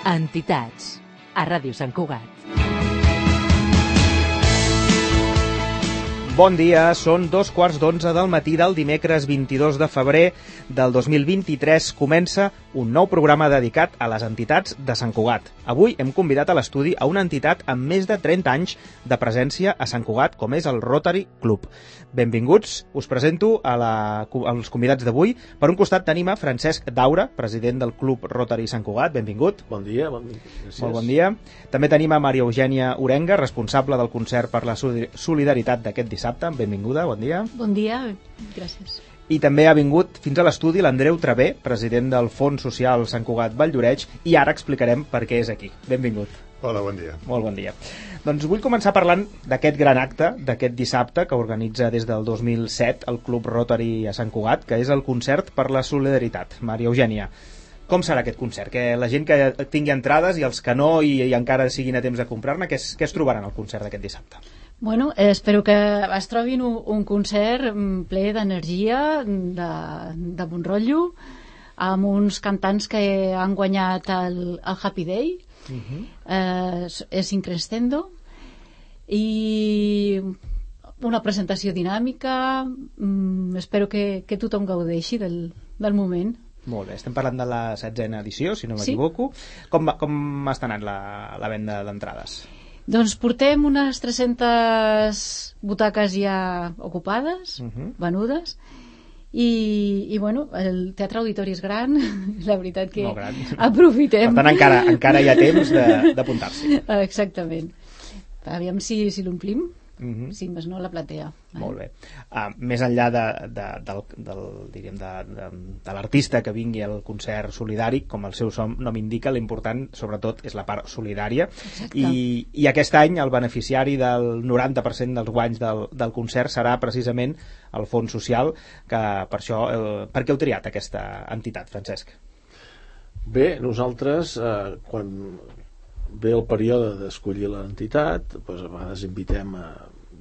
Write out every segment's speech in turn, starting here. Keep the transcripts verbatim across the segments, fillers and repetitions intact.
Entitats, a Ràdio Sant Cugat. Bon dia, són dos quarts d'onze del matí del dimecres vint-i-dos de febrer del dos mil vint-i-tres. Comença un nou programa dedicat a les entitats de Sant Cugat. Avui hem convidat a l'estudi a una entitat amb més de trenta anys de presència a Sant Cugat, com és el Rotary Club. Benvinguts, us presento a la, als convidats d'avui. Per un costat tenim a Francesc Daura, president del Club Rotary Sant Cugat. Benvingut. Bon dia, bon dia. Gràcies. Molt bon dia. També tenim a Maria Eugènia Orenga, responsable del concert per la solidaritat d'aquest dissabte. Benvinguda, bon dia. Bon dia, gràcies. I també ha vingut fins a l'estudi l'Andreu Travé, president del Fons Social Sant Cugat Valldoreix, i ara explicarem per què és aquí. Benvingut. Hola, bon dia. Molt bon dia. Doncs vull començar parlant d'aquest gran acte, d'aquest dissabte, que organitza des del dos mil set el Club Rotary a Sant Cugat, que és el concert per la solidaritat. Maria Eugènia, com serà aquest concert? Que la gent que tingui entrades i els que no i, i encara siguin a temps de comprar-ne, què es, què es trobaran al concert d'aquest dissabte? Bueno, eh, espero que es trobin un, un concert ple d'energia, de, de bon rotllo, amb uns cantants que han guanyat el, el Happy Day, uh-huh. eh, és Increscendo, i una presentació dinàmica. mm, espero que, que tothom gaudeixi del, del moment. Molt bé, estem parlant de la setzena edició, si no Sí. m'equivoco. Com, va, com està anant la, la venda d'entrades? Doncs portem unes tres-centes butaques ja ocupades, Uh-huh. venudes, i, i bueno, el Teatre Auditori és gran, la veritat que Molt gran. aprofitem. Per tant, encara, encara hi ha temps de- d'apuntar-s'hi. Exactament. Aviam si, si l'omplim, Uh-huh. si més no la platea. Molt bé. Uh, més enllà de, de, del, del, diríem, de, de, de l'artista que vingui al concert solidari, com el seu som nom indica, l'important sobretot és la part solidària. Exacte. I, i aquest any el beneficiari del noranta per cent dels guanys del, del concert serà precisament el Fons Social, que per això, eh, per què heu triat aquesta entitat, Francesc? Bé, nosaltres, eh, quan ve el període d'escollir l'entitat, doncs a vegades invitem a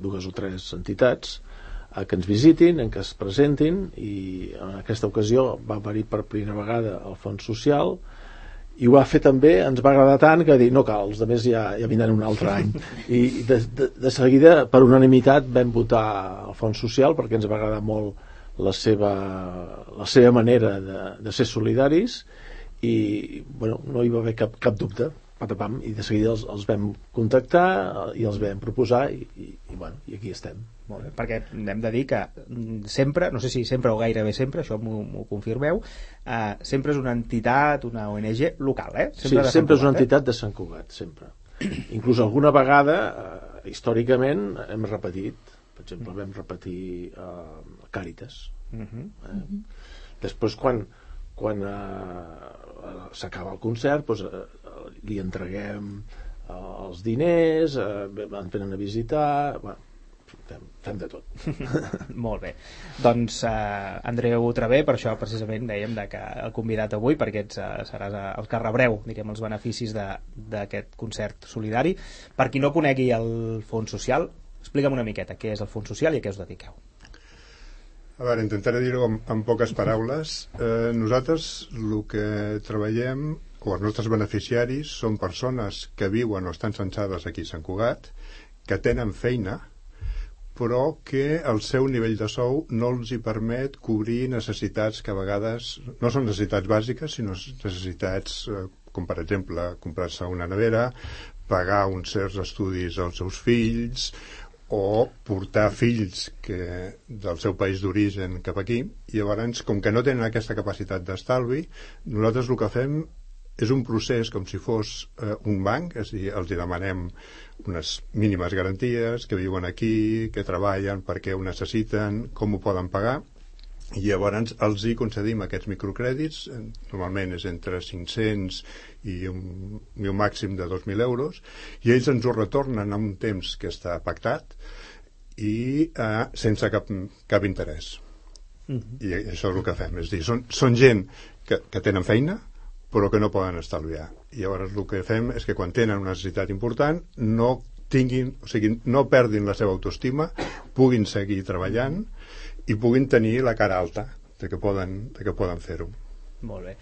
dues o tres entitats a que ens visitin, en què es presentin, i en aquesta ocasió va venir per primera vegada el Fons Social, i ho va fer també, ens va agradar tant que dir, no cal, els altres ja, ja vindran un altre any. I de, de, de seguida, per unanimitat, vam votar el Fons Social perquè ens va agradar molt la seva, la seva manera de, de ser solidaris, i bueno, no hi va haver cap, cap dubte. Patapam, i de seguida els, els vam contactar i els vam proposar i, i, i, bueno, i aquí estem. Molt bé, perquè hem de dir que mm, sempre, no sé si sempre o gairebé sempre, això m'ho m'ho confirmeu, eh, sempre és una entitat, una O N G local, eh? Sí, sempre Sant és una Cugat, entitat de Sant Cugat, sempre. Inclús alguna vegada, eh, històricament, hem repetit. Per exemple, vam repetir eh, Càritas. Eh? Uh-huh. Eh? Després, quan, quan eh, s'acaba el concert, doncs, eh, li entreguem eh, els diners, eh, ens venen a visitar, bueno, fem, fem de tot. Molt bé. Doncs eh, Andreu Travé, per això precisament dèiem de que el convidat avui, perquè ets, eh, seràs eh, el que rebreu, diríem, els beneficis de- d'aquest concert solidari. Per qui no conegui el Fons Social, explica'm una miqueta què és el Fons Social i a què us dediqueu. A veure, intentaré dir-ho en, en poques paraules. Eh, nosaltres el que treballem, o els nostres beneficiaris, són persones que viuen o estan censades aquí a Sant Cugat, que tenen feina, però que el seu nivell de sou no els hi permet cobrir necessitats que a vegades no són necessitats bàsiques, sinó necessitats eh, com per exemple comprar-se una nevera, pagar uns certs estudis als seus fills o portar fills que, del seu país d'origen cap aquí, i llavors, com que no tenen aquesta capacitat d'estalvi, nosaltres el que fem és un procés com si fos eh, un banc, és a dir, els hi demanem unes mínimes garanties, que viuen aquí, que treballen, perquè ho necessiten, com ho poden pagar, i llavors els hi concedim aquests microcrèdits, normalment és entre cinc-cents i un, i un màxim de dos mil euros, i ells ens ho retornen a un temps que està pactat i eh, sense cap, cap interès. Uh-huh. I això és el que fem, és a dir, són, són gent que, que tenen feina, però que no poden estalviar. I llavors el que fem és que quan tenen una necessitat important no tinguin, o sigui, no perdin la seva autoestima, puguin seguir treballant i puguin tenir la cara alta de que poden, de que poden fer-ho. Molt bé.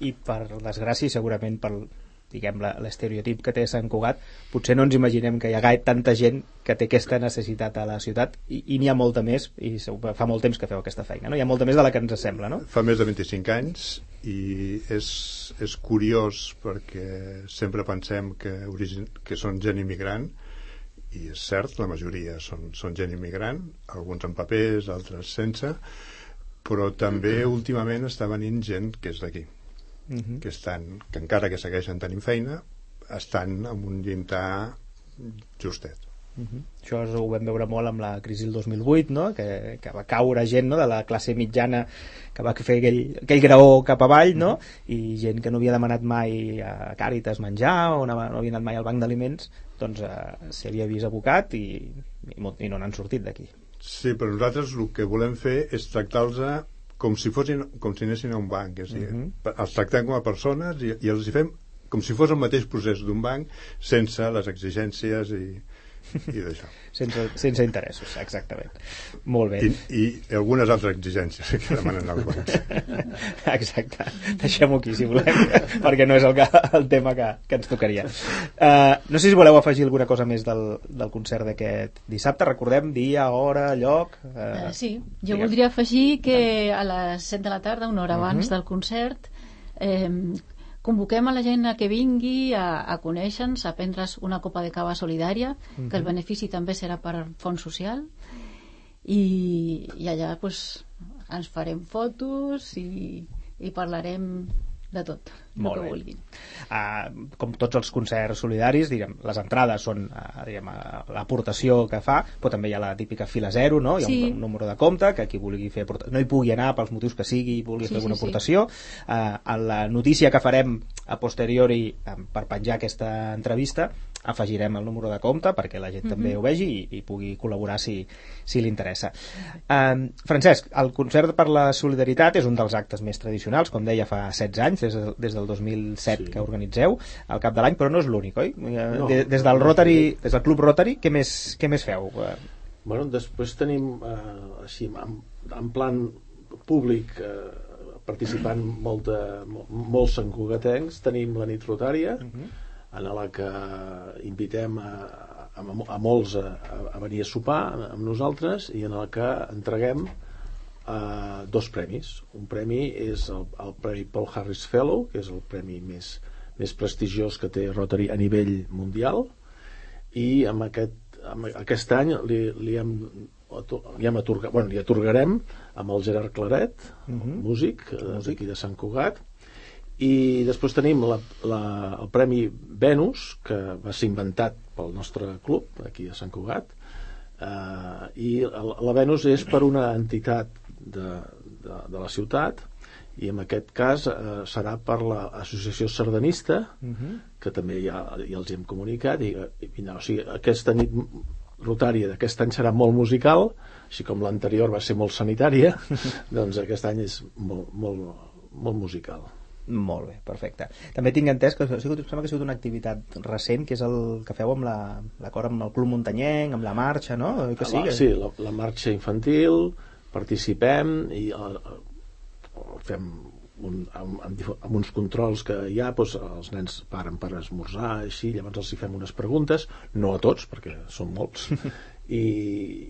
I per desgràcia, segurament per diguem, l'estereotip que té Sant Cugat, potser no ens imaginem que hi ha gaire tanta gent que té aquesta necessitat a la ciutat, i, i n'hi ha molta més, i fa molt temps que feu aquesta feina, no? Hi ha molta més de la que ens sembla, no? Fa més de vint-i-cinc anys, i és, és curiós perquè sempre pensem que, origin, que són gent immigrant, i és cert, la majoria són, són gent immigrant, alguns amb papers, altres sense, però també últimament està venint gent que és d'aquí, uh-huh. que estan, que encara que segueixen tenint feina, estan amb un llindar justet. Uh-huh. Això ho vam veure molt amb la crisi del dos mil vuit, no? que, que va caure gent, no? de la classe mitjana que va fer aquell, aquell graó cap avall, no? Uh-huh. i gent que no havia demanat mai a Càritas menjar o no havia anat mai al banc d'aliments, doncs eh, s'hi havia vist abocat i, i, i no n'han sortit d'aquí. Sí, però nosaltres el que volem fer és tractar-los com si fossin, com si anessin a un banc, és a dir, uh-huh. els tractem com a persones i, i els hi fem com si fos el mateix procés d'un banc, sense les exigències i i d'això. Sense, sense interessos, exactament. Molt bé. I, i algunes altres exigències que demanen els bancs. Exacte. Deixem-ho aquí, si volem, perquè no és el, que, el tema que, que ens tocaria. Uh, no sé si voleu afegir alguna cosa més del, del concert d'aquest dissabte. Recordem dia, hora, lloc... Uh, uh, sí, jo digues. Voldria afegir que a les set de la tarda, una hora abans uh-huh. del concert, eh, convoquem a la gent a que vingui a, a conèixer-nos, a prendre's una copa de cava solidària, uh-huh. que el benefici també serà per fons social, i, i allà pues, ens farem fotos i, i parlarem de tot, el que vulguin. Uh, com tots els concerts solidaris, diguem, les entrades són uh, diguem, uh, l'aportació que fa, però també hi ha la típica fila zero, no? Hi ha sí. un, un número de compte que qui vulgui fer no hi pugui anar pels motius que sigui i vulgui sí, fer alguna sí, aportació. Sí. Uh, en la notícia que farem a posteriori um, per penjar aquesta entrevista afegirem el número de compte perquè la gent mm-hmm. també ho vegi i, i pugui col·laborar si, si li interessa. Uh, Francesc, el concert per la solidaritat és un dels actes més tradicionals, com deia, fa setze anys, des, de, des del dos mil set sí. que organitzeu al cap de l'any, però no és l'únic, oi? No, des, des del Rotary, des del Club Rotary, què més, què més feu? Bueno, després tenim eh, així, en, en plan públic eh, participant molt de, molts santcugatencs, tenim la nit rotària, uh-huh. en la que invitem a, a, a molts a, a venir a sopar amb nosaltres i en la que entreguem uh, dos premis. Un premi és el, el Premi Paul Harris Fellow, que és el premi més, més prestigiós que té Rotary a nivell mundial, i amb aquest, amb aquest any li, li hem li hem atorgat, bueno, li atorgarem amb el Gerard Claret, uh-huh. músic d'aquí de Sant Cugat. I després tenim la, la, el Premi Venus, que va ser inventat pel nostre club aquí a Sant Cugat, uh, i la, la Venus és per una entitat de, de, de la ciutat, i en aquest cas uh, serà per l'associació sardanista, uh-huh. que també ja, ja els hem comunicat, i, i no, o sigui, aquesta nit rotària d'aquest any serà molt musical, així com l'anterior va ser molt sanitària, doncs aquest any és molt, molt, molt musical. Molt bé, perfecte. També tinc entès que ha sigut, sembla que ha sigut una activitat recent, que és el que feu amb la, l'acord amb el Club Muntanyenc, amb la marxa, no? Que sí, la, sí, la, la marxa infantil, participem i el, fem un, amb, amb uns controls que hi ha, doncs, els nens paren per esmorzar, així, llavors els hi fem unes preguntes, no a tots, perquè són molts, i,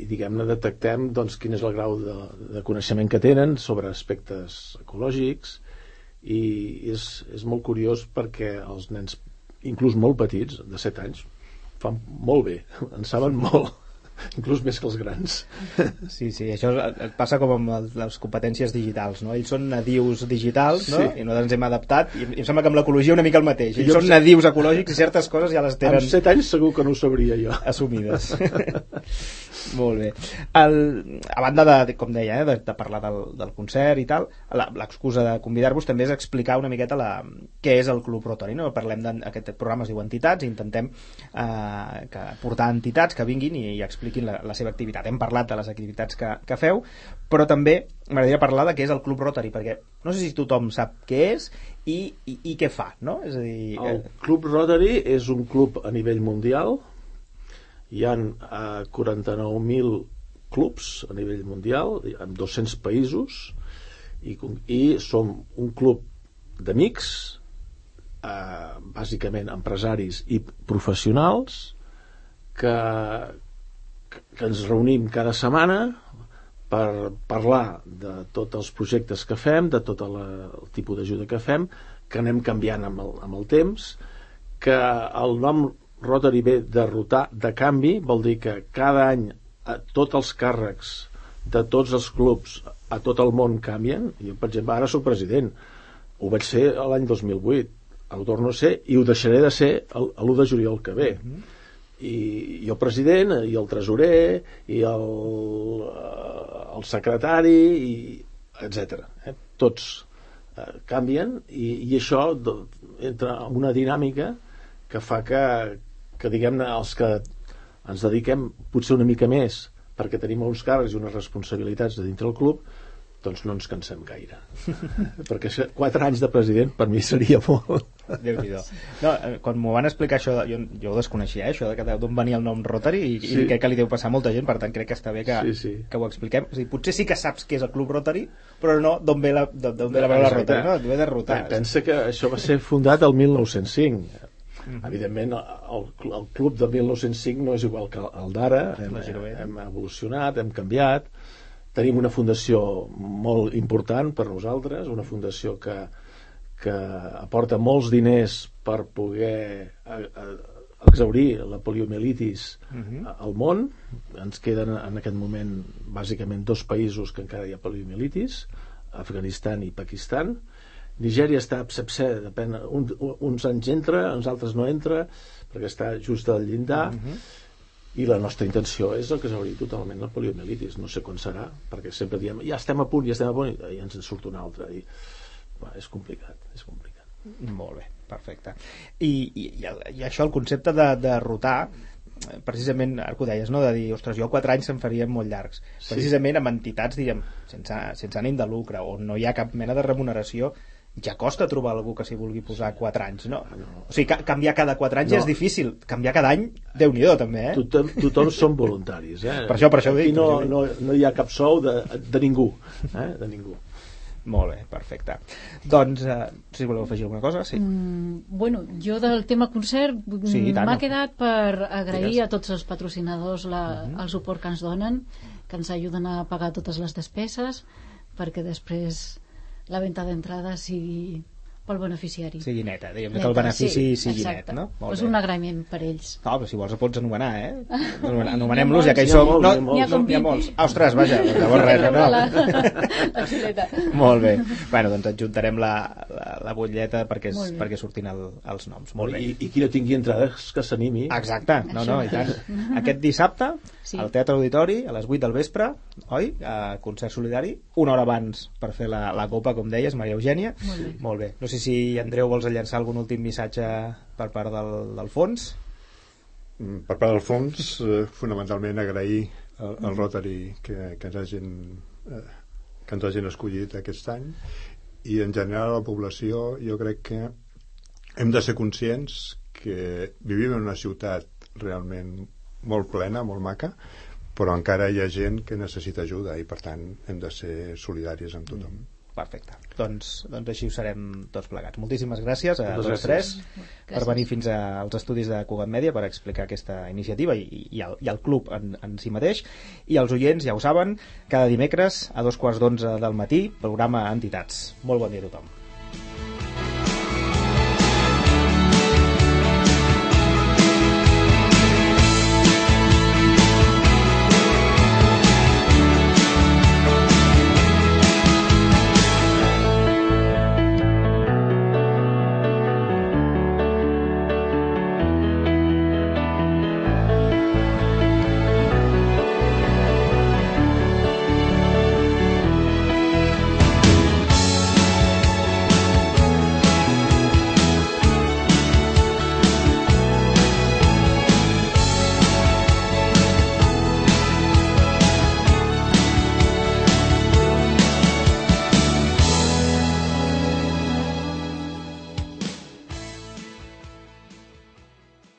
i diguem-ne detectem doncs, quin és el grau de, de coneixement que tenen sobre aspectes ecològics, i és, és molt curiós perquè els nens, inclús molt petits, de set anys, fan molt bé, en saben molt, inclús més que els grans. Sí, sí, això passa com amb les competències digitals, no? Ells són nadius digitals, no? Sí. I nosaltres ens hem adaptat, i em sembla que amb l'ecologia una mica el mateix. Ells són nadius ecològics i certes coses ja les tenen... Amb set anys segur que no ho sabria jo. Assumides. Molt bé. El, a banda de, com deia, eh, de, de parlar del, del concert i tal, la, l'excusa de convidar-vos també és explicar una miqueta la, què és el Club Rotary, no? Parlem d'aquest programa, es diu Entitats, i intentem eh, que portar entitats que vinguin i, i expliquin la, la seva activitat. Hem parlat de les activitats que, que feu, però també m'agradaria parlar de què és el Club Rotary, perquè no sé si tothom sap què és i, i, i què fa, no? És a dir, el eh... Club Rotary és un club a nivell mundial. Hi ha uh, quaranta-nou mil clubs a nivell mundial, en dos-cents països, i, i som un club d'amics eh, bàsicament empresaris i professionals que, que ens reunim cada setmana per parlar de tots els projectes que fem, de tot la, el tipus d'ajuda que fem, que anem canviant amb el, amb el temps, que el nom Rotary ve de rotar, de canvi, vol dir que cada any a tots els càrrecs de tots els clubs a tot el món canvien. Jo, per exemple, ara soc president, ho vaig ser l'any dos mil vuit, ho torno a ser i ho deixaré de ser l'u de juliol que ve. Mm-hmm. I, i el president i el tresorer i el, el secretari i etcètera. Eh? Tots eh, canvien i, i això do, entra en una dinàmica que fa que, que diguem-ne, els que ens dediquem potser una mica més perquè tenim uns càrrecs i unes responsabilitats de dintre del club, doncs no ens cansem gaire. Perquè quatre anys de president per mi seria molt. Déu-n'hi-do. No, quan m'ho van explicar això, jo, jo ho desconeixia, eh, això de d'on venia el nom Rotary, i, sí. i crec que li deu passar a molta gent, per tant crec que està bé que, sí, sí. que ho expliquem. O sigui, potser sí que saps què és el Club Rotary, però no d'on ve la, d'on ve la paraula Rotary, no? Ve de rotar. Pensa que això va ser fundat el mil nou-cents cinc. Mm-hmm. Evidentment el, el club del mil nou-cents cinc no és igual que el d'ara, hem, hem evolucionat, hem canviat, tenim una fundació molt important per nosaltres, una fundació que, que aporta molts diners per poder a, a, exaurir la poliomielitis mm-hmm. al món. Ens queden en aquest moment bàsicament dos països que encara hi ha poliomielitis, Afganistan i Pakistan. Nigèria està absepsè, depèn, un, uns anys entra, uns altres no entra, perquè està just al llindar, uh-huh. i la nostra intenció és el que s'hauria totalment la poliomielitis. No sé quan serà, perquè sempre diem, ja estem a punt, ja estem a punt, i ens en surt un altre. I, va, és complicat, és complicat. Molt bé, perfecte. I, i, i això, el concepte de, de rotar, precisament, ara que ho deies, no? De dir, ostres, jo quatre anys se'n farien molt llargs. Precisament amb entitats, diguem, sense, sense ànim de lucre, on no hi ha cap mena de remuneració, ja costa trobar algú que s'hi vulgui posar quatre anys, no? O sigui, ca- canviar cada quatre anys no. Ja és difícil. Canviar cada any, Déu-n'hi-do, també, eh? Tothom, tothom són voluntaris, eh? Per això, per això ho dic. Aquí no, no, no hi ha cap sou de, de ningú, eh? De ningú. Molt bé, perfecte. Doncs, eh, si voleu afegir alguna cosa, sí. Mm, bueno, jo del tema concert sí, m'ha quedat per agrair Digues. a tots els patrocinadors la, uh-huh. el suport que ens donen, que ens ajuden a pagar totes les despeses, perquè després la venda d'entrada sigui pel beneficiari. Sigui neta, diguem que el benefici sí, sigui exacte. net, no? Molt és bé. Un agraïment per ells. No, però si vols pots anomenar, eh? Anomenem-los, ja que hi som... Molts, no, molts, n'hi ha, com... ha molts. Ah, ostres, vaja, llavors res, no? La, la xuleta. Molt bé. Bueno, doncs adjuntarem la, la, la butlleta perquè, es, perquè surtin el, els noms. Molt bé. I, i qui no tingui entrades que s'animi. Exacte, no, no, i tant. Aquest dissabte, sí. Al Teatre Auditori, a les vuit del vespre, oi? A concert solidari, una hora abans per fer la, la copa, com deies, Maria Eugènia. Molt bé. Molt bé. No sé si Andreu vols llançar algun últim missatge per part del, del fons? Per part del fons, eh, fonamentalment agrair al, al Rotary que, que, ens hagin, eh, que ens hagin escollit aquest any, i en general a la població jo crec que hem de ser conscients que vivim en una ciutat realment molt plena, molt maca, però encara hi ha gent que necessita ajuda i per tant hem de ser solidaris amb tothom. Mm. Perfecte, doncs, doncs així ho serem tots plegats. Moltíssimes gràcies a Moltes tots tres gràcies. Per venir fins als estudis de Cugat Mèdia per explicar aquesta iniciativa i, i, el, i el club en, en si mateix. I els oients, ja ho saben, cada dimecres a dos quarts d'onze del matí, programa Entitats. Molt bon dia a tothom.